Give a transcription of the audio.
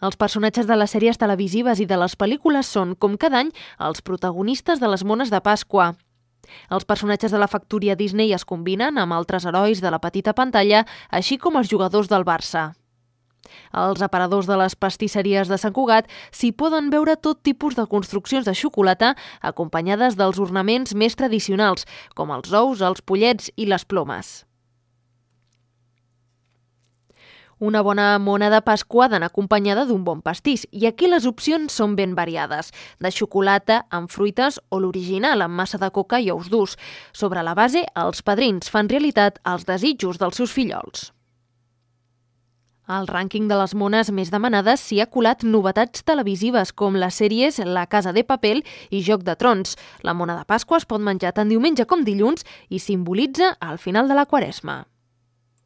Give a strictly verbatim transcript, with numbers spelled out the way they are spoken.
Els personatges de les sèries televisives i de les pel·lícules són, com cada any, els protagonistes de les mones de Pasqua. Els personatges de la factoria Disney es combinen amb altres herois de la petita pantalla, així com els jugadors del Barça. Als aparadors de les pastisseries de Sant Cugat s'hi poden veure tot tipus de construccions de xocolata acompanyades dels ornaments més tradicionals, com els ous, els pollets i les plomes. Una bona mona de Pasqua ha d'anar acompanyada d'un bon pastís, i aquí les opcions són ben variades, de xocolata, amb fruites o l'original amb massa de coca i ous durs. Sobre la base, els padrins fan realitat els desitjos dels seus fillols. Al rànquing de les mones més demanades s'hi ha colat novetats televisives com les sèries La Casa de Papel i Joc de Trons. La mona de Pasqua es pot menjar tant diumenge com dilluns i simbolitza el final de la Quaresma.